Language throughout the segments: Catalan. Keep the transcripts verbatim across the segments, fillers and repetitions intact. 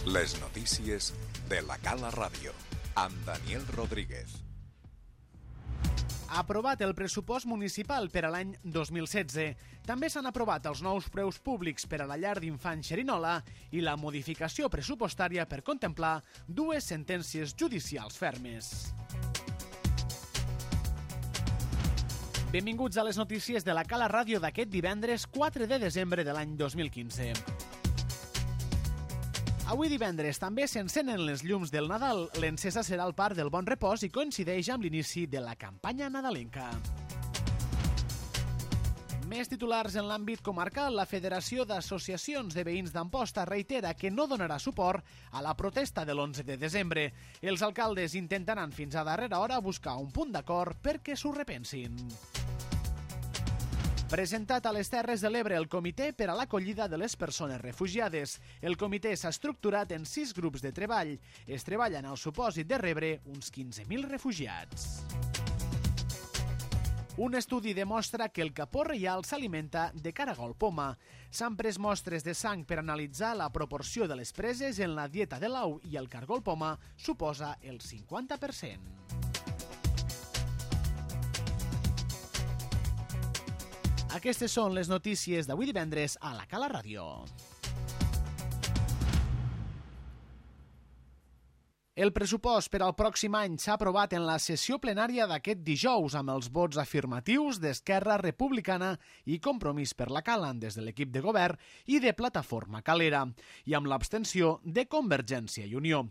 Les notícies de la Cala Ràdio, amb Daniel Rodríguez. Ha aprovat el pressupost municipal per a l'any dos mil setze. També s'han aprovat els nous preus públics per a la llar d'infants Xerinola i la modificació pressupostària per contemplar dues sentències judicials fermes. Benvinguts a les notícies de la Cala Ràdio d'aquest divendres quatre de desembre de l'any dos mil quinze. Avui divendres també s'encenen les llums del Nadal. L'encesa serà al Parc del Bon Repòs i coincideix amb l'inici de la campanya nadalenca. Més titulars en l'àmbit comarcal. La Federació d'Associacions de Veïns d'Amposta reitera que no donarà suport a la protesta de l'onze de desembre. Els alcaldes intentaran fins a darrera hora buscar un punt d'acord perquè s'ho repensin. Presentat a les Terres de l'Ebre el Comitè per a l'acollida de les persones refugiades. El comitè s'ha estructurat en sis grups de treball. Es treballa en el supòsit de rebre uns quinze mil refugiats. Un estudi demostra que el capó reial s'alimenta de caragol poma. S'han pres mostres de sang per analitzar la proporció de les preses en la dieta de l'au i el caragol poma suposa el cinquanta per cent. Aquestes són les notícies d'avui divendres a la Cala Ràdio. El pressupost per al pròxim any s'ha aprovat en la sessió plenària d'aquest dijous amb els vots afirmatius d'Esquerra Republicana i Compromís per la Cala des de l'equip de govern i de Plataforma Calera i amb l'abstenció de Convergència i Unió.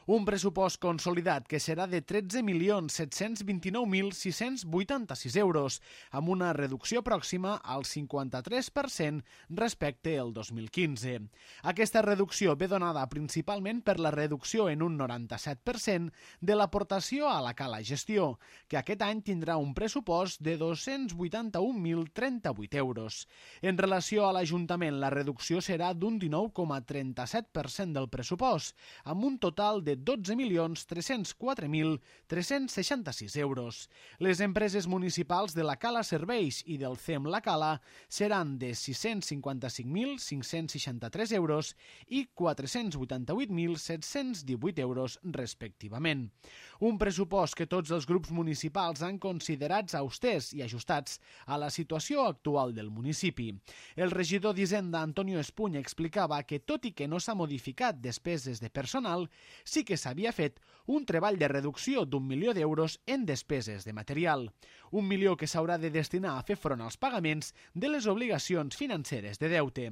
Un pressupost consolidat que serà de tretze milions set-cents vint-i-nou mil sis-cents vuitanta-sis euros, amb una reducció pròxima al cinquanta-tres per cent respecte al dos mil quinze. Aquesta reducció ve donada principalment per la reducció en un noranta-set per cent de l'aportació a la Cala Gestió, que aquest any tindrà un pressupost de dos-cents vuitanta-un mil trenta-vuit euros. En relació a l'Ajuntament, la reducció serà d'un dinou coma trenta-set per cent del pressupost, amb un total de dotze milions tres-cents quatre mil tres-cents seixanta-sis euros. Les empreses municipals de la Cala Serveis i del C E M La Cala seran de sis-cents cinquanta-cinc mil cinc-cents seixanta-tres euros i quatre-cents vuitanta-vuit mil set-cents divuit euros respectivament. Un pressupost que tots els grups municipals han considerats austers i ajustats a la situació actual del municipi. El regidor d'Hisenda, Antonio Espuny, explicava que tot i que no s'ha modificat despeses de personal, sí que s'havia fet un treball de reducció d'un milió d'euros en despeses de material. Un milió que s'haurà de destinar a fer front als pagaments de les obligacions financeres de deute.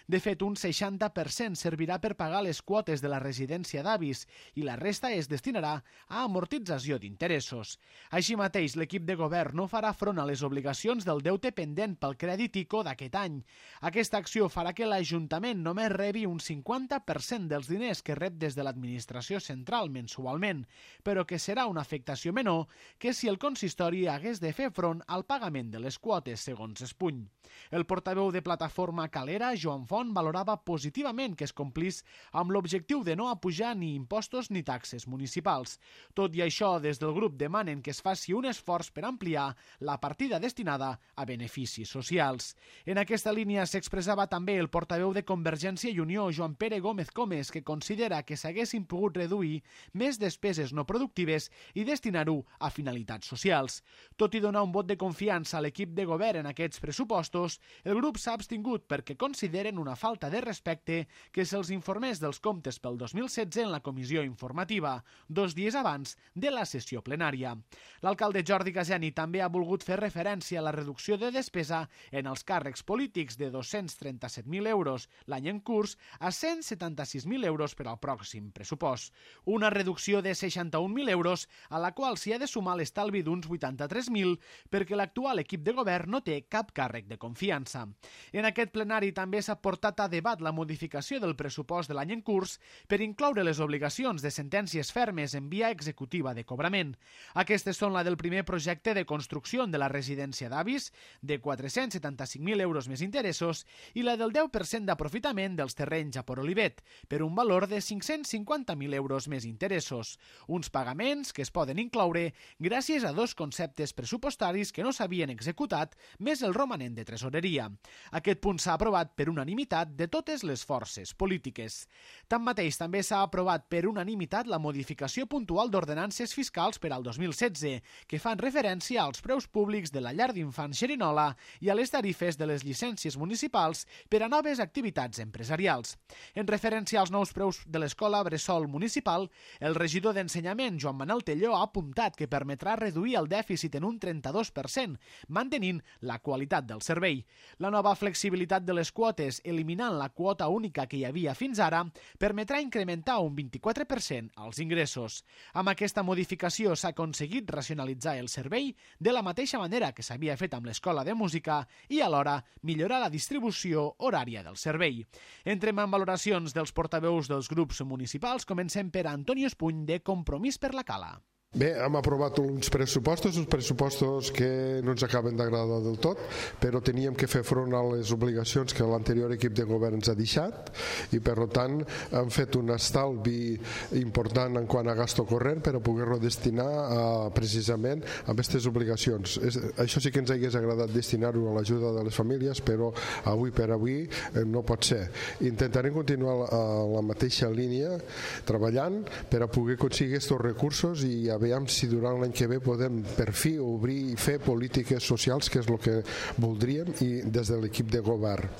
De fet, un seixanta per cent servirà per pagar les quotes de la residència d'avis i la resta es destinarà a amortització d'interessos. Així mateix, l'equip de govern no farà front a les obligacions del deute pendent pel crèdit ICO d'aquest any. Aquesta acció farà que l'Ajuntament només rebi un cinquanta per cent dels diners que rep des de l'administració central mensualment, però que serà una afectació menor que si el consistori hagués de fer front al pagament de les quotes, segons Espuny. El portaveu de Plataforma Calera, Joan Font, valorava positivament que es complís amb l'objectiu de no apujar ni impostos ni taxes municipals. Tot i això, des del grup demanen que es faci un esforç per ampliar la partida destinada a beneficis socials. En aquesta línia s'expressava també el portaveu de Convergència i Unió, Joan Pere Gómez Comes, que considera que s'haguessin pogut reduir més despeses no productives i destinar-ho a finalitats socials. Tot i donar un vot de confiança a l'equip de govern en aquests pressupostos, el grup s'ha abstingut perquè consideren una falta de respecte que se'ls informés dels comptes pel dos mil setze en la comissió informativa, dos dies abans de la sessió plenària. L'alcalde Jordi Gazeni també ha volgut fer referència a la reducció de despesa en els càrrecs polítics de dos-cents trenta-set mil euros l'any en curs a cent setanta-sis mil euros per al pròxim pressupost. Una reducció de seixanta-un mil euros a la qual s'hi ha de sumar l'estalvi d'uns vuitanta-tres mil perquè l'actual equip de govern no té cap càrrec de confiança. En aquest plenari també s'ha portat a debat la modificació del pressupost de l'any en curs per incloure les obligacions de sentències fermes en via executiva de cobrament. Aquestes són la del primer projecte de construcció de la residència d'avis, de quatre-cents setanta-cinc mil euros més interessos, i la del deu per cent d'aprofitament dels terrenys a Port Olivet, per un valor de cinc-cents cinquanta mil euros més interessos. Uns pagaments que es poden incloure gràcies a dos conceptes pressupostaris pressupostaris que no s'havien executat, més el romanent de tresoreria. Aquest punt s'ha aprovat per unanimitat de totes les forces polítiques. Tanmateix, també s'ha aprovat per unanimitat la modificació puntual d'ordenances fiscals per al dos mil setze, que fan referència als preus públics de la llar d'infants Xerinola i a les tarifes de les llicències municipals per a noves activitats empresarials. En referència als nous preus de l'escola bressol municipal, el regidor d'Ensenyament, Joan Manel Telló, ha apuntat que permetrà reduir el dèficit en un trenta-dos per cent, mantenint la qualitat del servei. La nova flexibilitat de les quotes, eliminant la quota única que hi havia fins ara, permetrà incrementar un vint-i-quatre per cent els ingressos. Amb aquesta modificació s'ha aconseguit racionalitzar el servei de la mateixa manera que s'havia fet amb l'escola de música i alhora millorar la distribució horària del servei. Entrem en valoracions dels portaveus dels grups municipals. Comencem per Antonio Espuny, de Compromís per la Cala. Bé, hem aprovat uns pressupostos, uns pressupostos que no ens acaben d'agradar del tot, però teníem que fer front a les obligacions que l'anterior equip de govern ens ha deixat i per tant hem fet un estalvi important en quant a gasto corrent per a poder-lo destinar a, precisament a aquestes obligacions. És, això sí que ens hagués agradat destinar-ho a l'ajuda de les famílies, però avui per avui eh, no pot ser. Intentarem continuar a la mateixa línia treballant per a poder aconseguir aquests recursos i a veiem si durant l'any que ve podem per fi obrir i fer polítiques socials, que és el que voldríem, i des de l'equip de govern.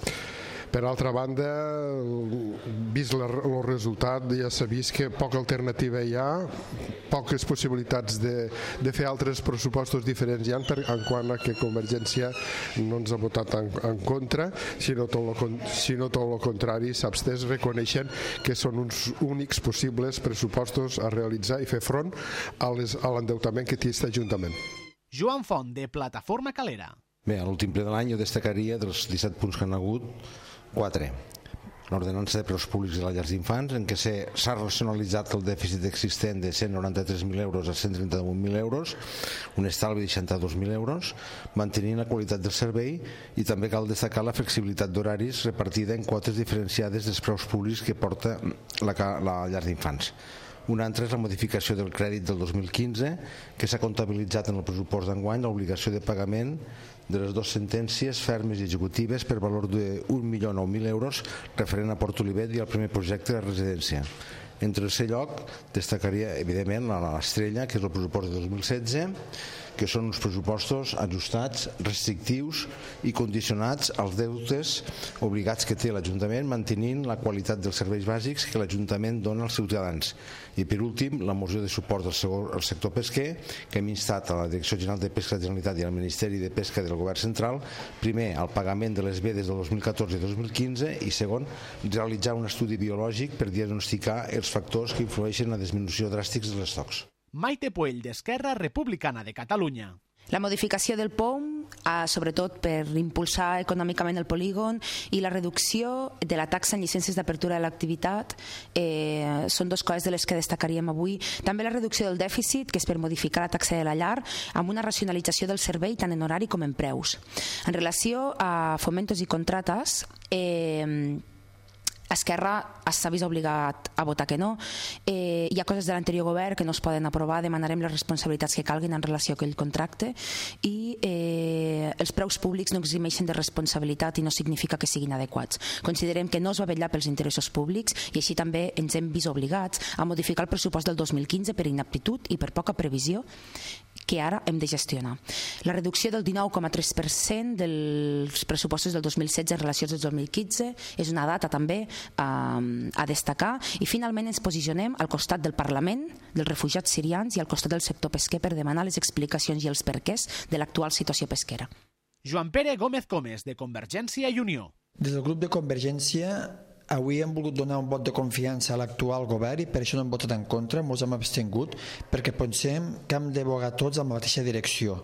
Per altra banda, vist el resultat, ja s'ha vist que poca alternativa hi ha, poques possibilitats de, de fer altres pressupostos diferents hi ha, per, en quant a que Convergència no ens ha votat en, en contra, sinó tot lo, sinó tot el contrari, s'abstès reconeixent que són uns únics possibles pressupostos a realitzar i fer front a, les, a l'endeutament que té aquest Ajuntament. Joan Font, de Plataforma Calera. Bé, a l'últim ple de l'any jo destacaria dels disset punts que han hagut, quatre. L'ordenança de preus públics de les llars d'infants, en què s'ha racionalitzat el dèficit existent de cent noranta-tres mil euros a cent trenta-un mil euros, un estalvi de seixanta-dos mil euros, mantenint la qualitat del servei, i també cal destacar la flexibilitat d'horaris repartida en quotes diferenciades dels preus públics que porta la, la llar d'infants. Una altra és la modificació del crèdit del dos mil quinze, que s'ha comptabilitzat en el pressupost d'enguany l'obligació de pagament de les dues sentències fermes i executives per valor d'un milió nou mil euros referent a Port Olivet i al primer projecte de residència. En tercer lloc, destacaria evidentment l'estrella, que és el pressupost de dos mil setze, que són uns pressupostos ajustats, restrictius i condicionats als deutes obligats que té l'Ajuntament, mantenint la qualitat dels serveis bàsics que l'Ajuntament dona als ciutadans. I per últim, la moció de suport al sector pesquer, que hem instat a la Direcció General de Pesca de la Generalitat i al Ministeri de Pesca del Govern Central, primer, el pagament de les vedes del dos mil catorze i dos mil quinze, i segon, realitzar un estudi biològic per diagnosticar els factors que influeixen en la disminució dràstica dels estocs. Maite Puell, d'Esquerra Republicana de Catalunya. La modificació del P O M, eh, sobretot per impulsar econòmicament el polígon, i la reducció de la taxa en llicències d'apertura de l'activitat eh, són dues coses de les que destacaríem avui. També la reducció del dèficit, que és per modificar la taxa de la llar, amb una racionalització del servei tant en horari com en preus. En relació a fomentos i contrates, eh, Esquerra s'ha vist obligat a votar que no. Eh, hi ha coses de l'anterior govern que no es poden aprovar, demanarem les responsabilitats que calguin en relació a aquell contracte, i eh, els preus públics no eximeixen de responsabilitat i no significa que siguin adequats. Considerem que no es va vetllar pels interessos públics i així també ens hem vist obligats a modificar el pressupost del dos mil quinze per inaptitud i per poca previsió que ara hem de gestionar. La reducció del dinou coma tres per cent dels pressupostos del dos mil setze en relació al dos mil quinze és una data també a, a destacar, i finalment ens posicionem al costat del Parlament, dels refugiats sirians, i al costat del sector pesquer per demanar les explicacions i els perquès de l'actual situació pesquera. Joan Pere Gómez Comes, de Convergència i Unió. Des del grup de Convergència avui hem volgut donar un vot de confiança a l'actual govern i per això no hem votat en contra, ens hem abstingut, perquè pensem que hem de bogar tots en la mateixa direcció.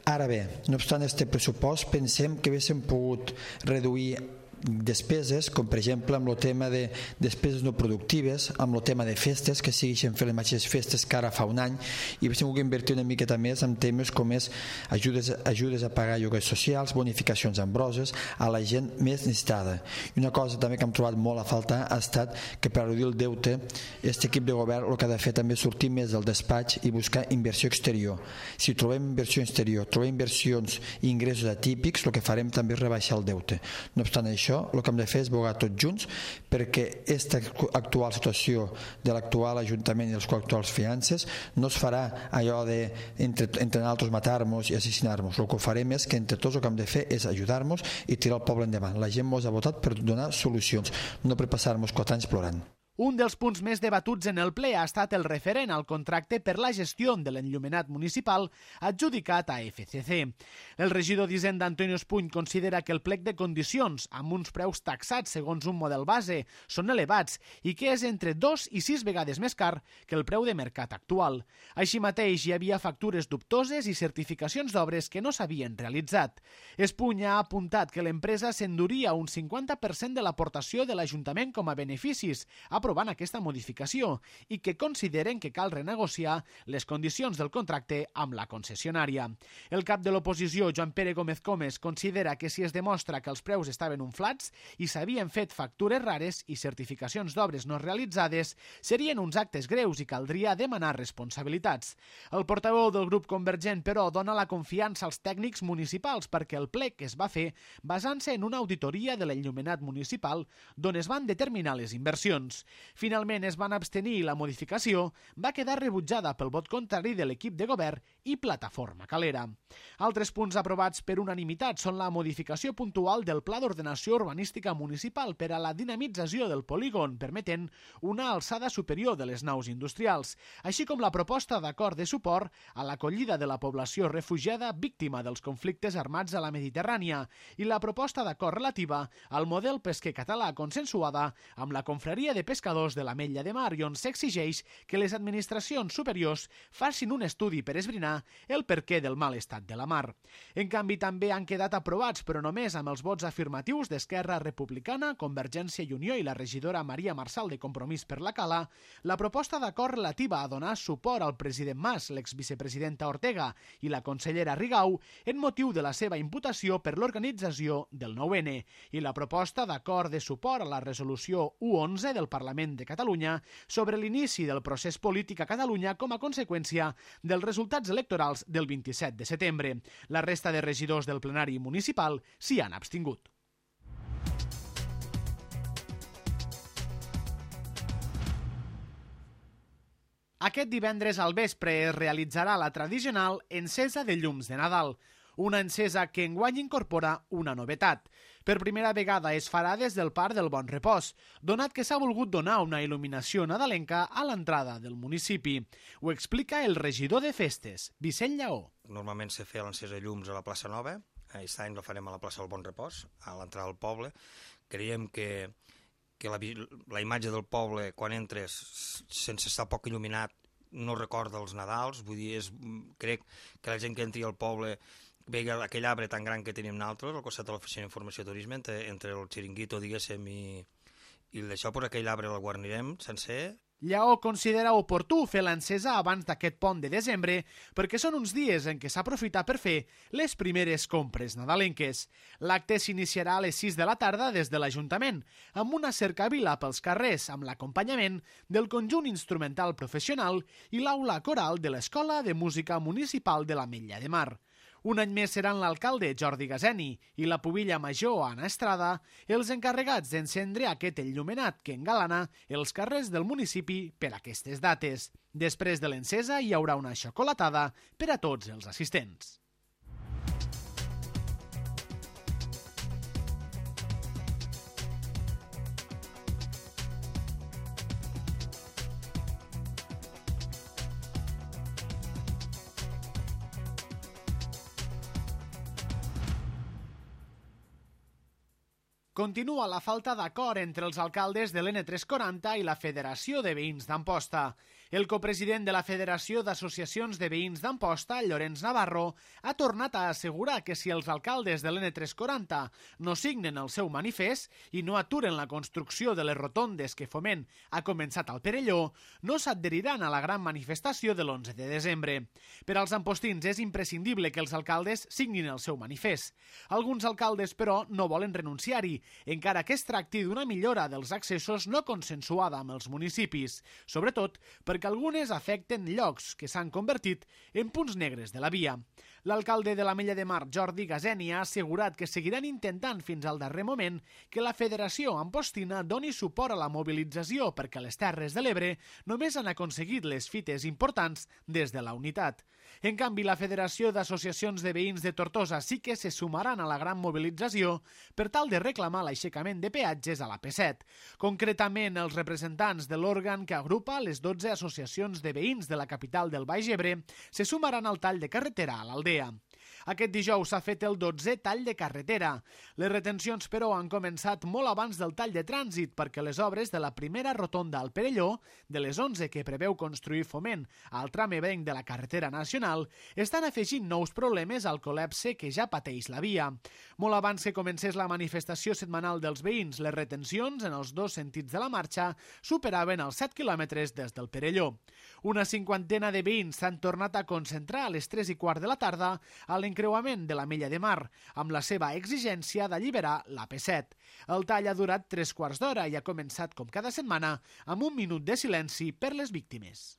Ara bé, no obstant este pressupost, pensem que haguéssim pogut reduir despeses, com per exemple amb el tema de despeses no productives, amb el tema de festes, que segueixen fent les mateixes festes que ara fa un any, i hem tingut que invertir una miqueta més en temes com és ajudes, ajudes a pagar lloguers socials, bonificacions ambroses a la gent més necessitada. I una cosa també que hem trobat molt a faltar ha estat que per reduir el deute, aquest equip de govern el que ha de fer també és sortir més del despatx i buscar inversió exterior. Si trobem inversió exterior, trobem inversions i ingressos atípics, el que farem també és rebaixar el deute. No obstant això, el que hem de fer és bogar tots junts perquè aquesta actual situació de l'actual Ajuntament i les actuals finances no es farà allò de entre, entre nosaltres matar-nos i assassinar-nos. El que farem és que entre tots el que hem de fer és ajudar-nos i tirar el poble endavant. La gent ens ha votat per donar solucions, no per passar-nos quatre anys plorant. Un dels punts més debatuts en el ple ha estat el referent al contracte per la gestió de l'enllumenat municipal adjudicat a F C C. El regidor d'Hisenda, Antonio Espuny, considera que el plec de condicions, amb uns preus taxats segons un model base, són elevats i que és entre dos i sis vegades més car que el preu de mercat actual. Així mateix, hi havia factures dubtoses i certificacions d'obres que no s'havien realitzat. Espuny ha apuntat que l'empresa s'enduria un cinquanta per cent de l'aportació de l'Ajuntament com a beneficis, aprovant aquesta modificació, i que consideren que cal renegociar les condicions del contracte amb la concessionària. El cap de l'oposició, Joan Pere Gómez Comes, considera que si es demostra que els preus estaven inflats i s'havien fet factures rares i certificacions d'obres no realitzades, serien uns actes greus i caldria demanar responsabilitats. El portaveu del grup Convergent, però, dona la confiança als tècnics municipals perquè el plec es va fer basant-se en una auditoria de l'enllumenat municipal d'on es van determinar les inversions. Finalment es van abstenir i la modificació va quedar rebutjada pel vot contrari de l'equip de govern i Plataforma Calera. Altres punts aprovats per unanimitat són la modificació puntual del Pla d'Ordenació Urbanística Municipal per a la dinamització del polígon, permetent una alçada superior de les naus industrials, així com la proposta d'acord de suport a l'acollida de la població refugiada víctima dels conflictes armats a la Mediterrània i la proposta d'acord relativa al model pesquer català consensuada amb la Confraria de Pescadors de l'Ametlla de Mar i on s'exigeix que les administracions superiors facin un estudi per esbrinar el perquè del mal estat de la mar. En canvi, també han quedat aprovats, però només amb els vots afirmatius d'Esquerra Republicana, Convergència i Unió i la regidora Maria Marçal de Compromís per la Cala, la proposta d'acord relativa a donar suport al president Mas, l'exvicepresidenta Ortega i la consellera Rigau en motiu de la seva imputació per l'organització del nou ene i la proposta d'acord de suport a la resolució u onze del Parlament de Catalunya sobre l'inici del procés polític a Catalunya com a conseqüència dels resultats electorals del vint-i-set de setembre. La resta de regidors del plenari municipal s'hi han abstingut. Aquest divendres al vespre es realitzarà la tradicional encesa de llums de Nadal, una encesa que enguany incorpora una novetat. Per primera vegada es farà des del Parc del Bon Repòs, donat que s'ha volgut donar una il·luminació nadalenca a l'entrada del municipi. Ho explica el regidor de festes, Vicent Lleó. Normalment se feia l'encesa de llums a la plaça Nova, aquest any la farem a la plaça del Bon Repòs, a l'entrada del poble. Creiem que, que la, la imatge del poble, quan entres sense estar poc il·luminat, no recorda els Nadals. Vull dir, és, crec que la gent que entri al poble veia aquell arbre tan gran que tenim nosaltres al costat de l'oficina d'informació i turisme, entre, entre el xiringuito, diguéssim, i, i d'això, per aquell arbre el guarnirem sencer. Lleó considera oportú fer l'encesa abans d'aquest pont de desembre perquè són uns dies en què s'aprofita per fer les primeres compres nadalenques. L'acte s'iniciarà a les sis de la tarda des de l'Ajuntament, amb una cercavila pels carrers amb l'acompanyament del conjunt instrumental professional i l'aula coral de l'Escola de Música Municipal de l'Ametlla de Mar. Un any més seran l'alcalde Jordi Gazeni i la pubilla major Anna Estrada els encarregats d'encendre aquest enllumenat que engalana els carrers del municipi per aquestes dates. Després de l'encesa hi haurà una xocolatada per a tots els assistents. Continua la falta d'acord entre els alcaldes de l'N tres quaranta i la Federació de Veïns d'Amposta. El copresident de la Federació d'Associacions de Veïns d'Amposta, Llorenç Navarro, ha tornat a assegurar que si els alcaldes de l'N tres quaranta no signen el seu manifest i no aturen la construcció de les rotondes que Foment ha començat al Perelló, no s'adheriran a la gran manifestació de l'onze de desembre. Per als ampostins és imprescindible que els alcaldes signin el seu manifest. Alguns alcaldes, però, no volen renunciar-hi, encara que es tracti d'una millora dels accessos no consensuada amb els municipis, sobretot perquè algunes afecten llocs que s'han convertit en punts negres de la via. L'alcalde de l'Ametlla de Mar, Jordi Gazeni, ha assegurat que seguiran intentant fins al darrer moment que la Federació Ampostina doni suport a la mobilització perquè les Terres de l'Ebre només han aconseguit les fites importants des de la unitat. En canvi, la Federació d'Associacions de Veïns de Tortosa sí que se sumaran a la gran mobilització per tal de reclamar l'aixecament de peatges a la P set. Concretament, els representants de l'òrgan que agrupa les dotze associacions de veïns de la capital del Baix Ebre se sumaran al tall de carretera a l'Aldea. Aquest dijous s'ha fet el dotzè tall de carretera. Les retencions, però, han començat molt abans del tall de trànsit perquè les obres de la primera rotonda al Perelló, de les onze que preveu construir Foment al tram ebrenc de la carretera nacional, estan afegint nous problemes al col·lapse que ja pateix la via. Molt abans que comencés la manifestació setmanal dels veïns, les retencions en els dos sentits de la marxa superaven els set quilòmetres des del Perelló. Una cinquantena de veïns s'han tornat a concentrar a les tres i quart de la tarda a l'encreuament de l'Ametlla de Mar, amb la seva exigència d'alliberar la P set. El tall ha durat tres quarts d'hora i ha començat, com cada setmana, amb un minut de silenci per les víctimes.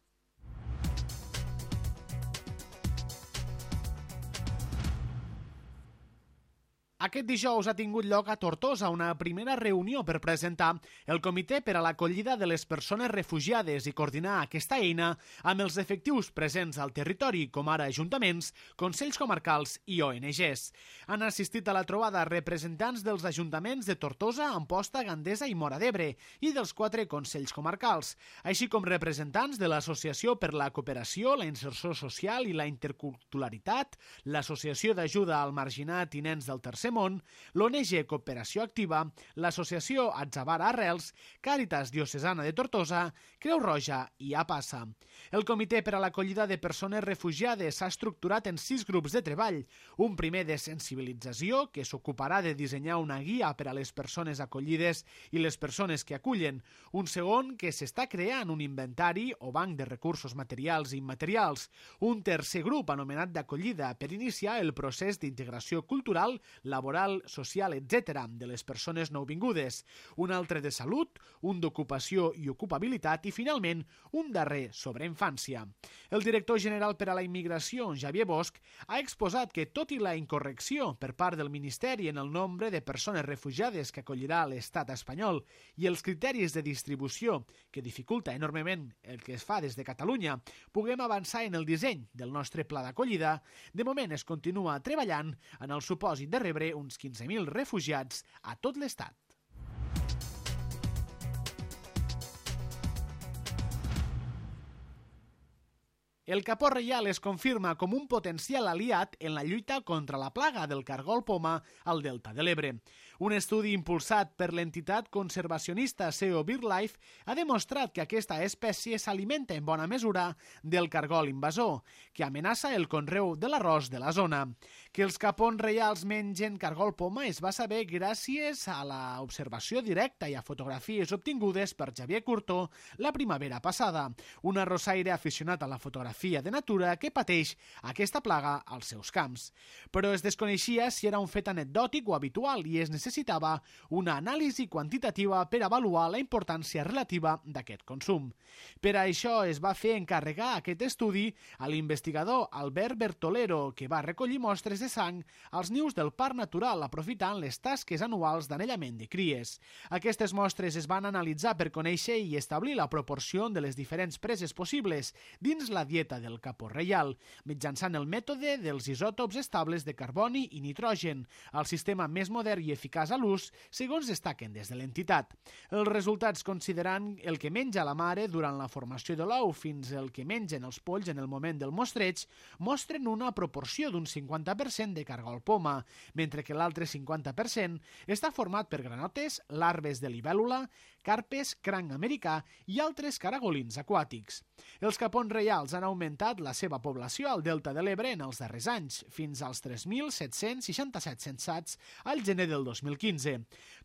Aquest dijous ha tingut lloc a Tortosa una primera reunió per presentar el Comitè per a l'Acollida de les Persones Refugiades i coordinar aquesta eina amb els efectius presents al territori, com ara ajuntaments, consells comarcals i O N Ges. Han assistit a la trobada representants dels ajuntaments de Tortosa, Amposta, Gandesa i Móra d'Ebre i dels quatre consells comarcals, així com representants de l'Associació per la Cooperació, la Inserció Social i la Interculturalitat, l'Associació d'Ajuda al Marginat i Nens del Tercer Món, l'O N G Cooperació Activa, l'Associació Atzavara Arrels, Càritas Diocesana de Tortosa, Creu Roja i APASA. El Comitè per a l'Acollida de Persones Refugiades s'ha estructurat en sis grups de treball, un primer de sensibilització, que s'ocuparà de dissenyar una guia per a les persones acollides i les persones que acullen, un segon que s'està creant un inventari o banc de recursos materials i immaterials, un tercer grup anomenat d'acollida per iniciar el procés d'integració cultural, laboral, social, etcètera de les persones nouvingudes, un altre de salut, un d'ocupació i ocupabilitat i, finalment, un darrer sobre infància. El director general per a la immigració, Xavier Bosch, ha exposat que, tot i la incorrecció per part del Ministeri en el nombre de persones refugiades que acollirà l'estat espanyol i els criteris de distribució, que dificulta enormement el que es fa des de Catalunya, puguem avançar en el disseny del nostre pla d'acollida, de moment es continua treballant en el supòsit de rebre uns quinze mil refugiats a tot l'estat. El capó reial es confirma com un potencial aliat en la lluita contra la plaga del cargol poma al delta de l'Ebre. Un estudi impulsat per l'entitat conservacionista S E O BirdLife ha demostrat que aquesta espècie s'alimenta en bona mesura del cargol invasor, que amenaça el conreu de l'arròs de la zona. Que els capons reials mengen cargol poma es va saber gràcies a l'observació directa i a fotografies obtingudes per Xavier Curto la primavera passada, un arrossaire aficionat a la fotografia de natura que pateix aquesta plaga als seus camps. Però es desconeixia si era un fet anecdòtic o habitual i es necessitava una anàlisi quantitativa per avaluar la importància relativa d'aquest consum. Per a això es va fer encarregar aquest estudi a l'investigador Albert Bertolero, que va recollir mostres de sang als nius del Parc Natural aprofitant les tasques anuals d'anellament de cries. Aquestes mostres es van analitzar per conèixer i establir la proporció de les diferents preses possibles dins la dieta l'orbeta del Capó Reial, mitjançant el mètode dels isòtops estables de carboni i nitrogen, el sistema més modern i eficaç a l'ús, segons destaquen des de l'entitat. Els resultats considerant el que menja la mare durant la formació de l'ou fins el que mengen els polls en el moment del mostreig mostren una proporció d'un cinquanta per cent de cargol poma, mentre que l'altre cinquanta per cent està format per granotes, larves de libèl·lula, carpes, cranc americà i altres caragolins aquàtics. Els capons reials han augmentat la seva població al Delta de l'Ebre en els darrers anys, fins als tres mil set-cents seixanta-set censats al gener del dos mil quinze.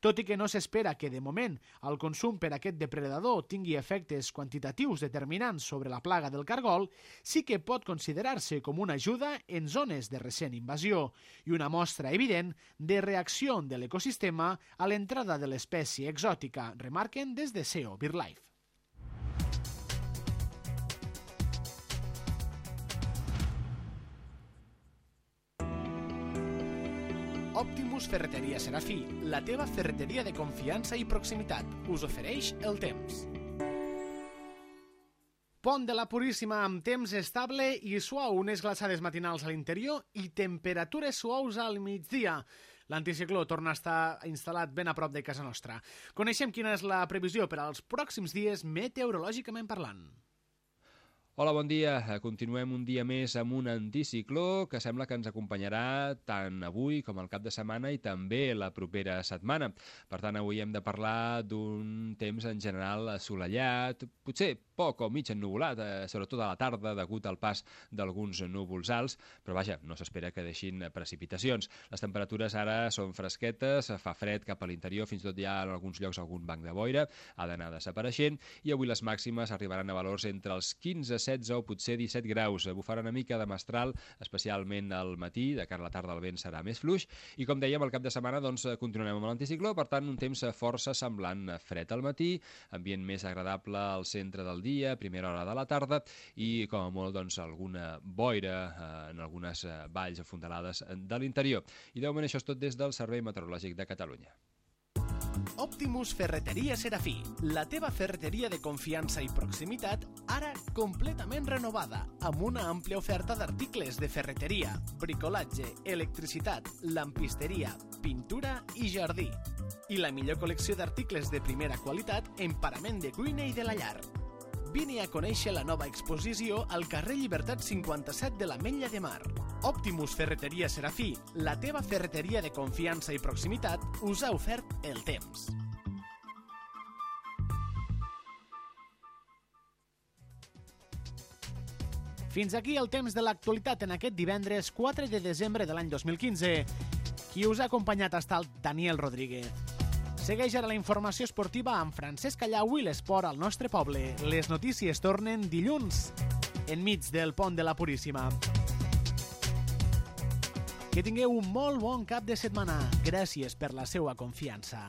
Tot i que no s'espera que, de moment, el consum per aquest depredador tingui efectes quantitatius determinants sobre la plaga del cargol, sí que pot considerar-se com una ajuda en zones de recent invasió i una mostra evident de reacció de l'ecosistema a l'entrada de l'espècie exòtica, remarquen des de S E O BirdLife. Optimus Ferreteria Serafí, la teva ferreteria de confiança i proximitat, us ofereix el temps. Pont de la Puríssima amb temps estable i suau, unes glaçades matinals a l'interior i temperatures suaus al migdia. L'anticicló torna a estar instal·lat ben a prop de casa nostra. Coneixem quina és la previsió per als pròxims dies meteorològicament parlant. Hola, bon dia. Continuem un dia més amb un anticicló que sembla que ens acompanyarà tant avui com el cap de setmana i també la propera setmana. Per tant, avui hem de parlar d'un temps en general assolellat, potser poc o mig ennuvolat, eh, sobretot a la tarda, degut al pas d'alguns núvols alts, però vaja, no s'espera que deixin precipitacions. Les temperatures ara són fresquetes, fa fred cap a l'interior, fins i tot hi ha en alguns llocs algun banc de boira, ha d'anar desapareixent, i avui les màximes arribaran a valors entre els quinze, setze o potser disset graus. Bufarà una mica de mestral, especialment al matí, de cara a la tarda el vent serà més fluix, i com dèiem, el cap de setmana doncs, continuarem amb l'anticicló, per tant, un temps força semblant, fred al matí, ambient més agradable al centre del dia, primera hora de la tarda, i com a molt doncs, alguna boira eh, en algunes eh, valls afondalades de l'interior. I de moment això és tot des del Servei Meteorològic de Catalunya. Optimus Ferreteria Serafí, la teva ferreteria de confiança i proximitat, ara completament renovada, amb una àmplia oferta d'articles de ferreteria, bricolatge, electricitat, lampisteria, pintura i jardí. I la millor col·lecció d'articles de primera qualitat en parament de cuina i de la llar. Vine a conèixer la nova exposició al carrer Llibertat cinquanta-set de l'Ametlla de Mar. Optimus Ferreteria Serafí, la teva ferreteria de confiança i proximitat, us ha ofert el temps. Fins aquí el temps de l'actualitat en aquest divendres quatre de desembre de l'any dos mil quinze. Qui us ha acompanyat ha estat Daniel Rodríguez. Segueix ara la informació esportiva amb Francesc Callau i l'esport al nostre poble. Les notícies tornen dilluns, enmig del pont de la Puríssima. Que tingueu un molt bon cap de setmana. Gràcies per la seua confiança.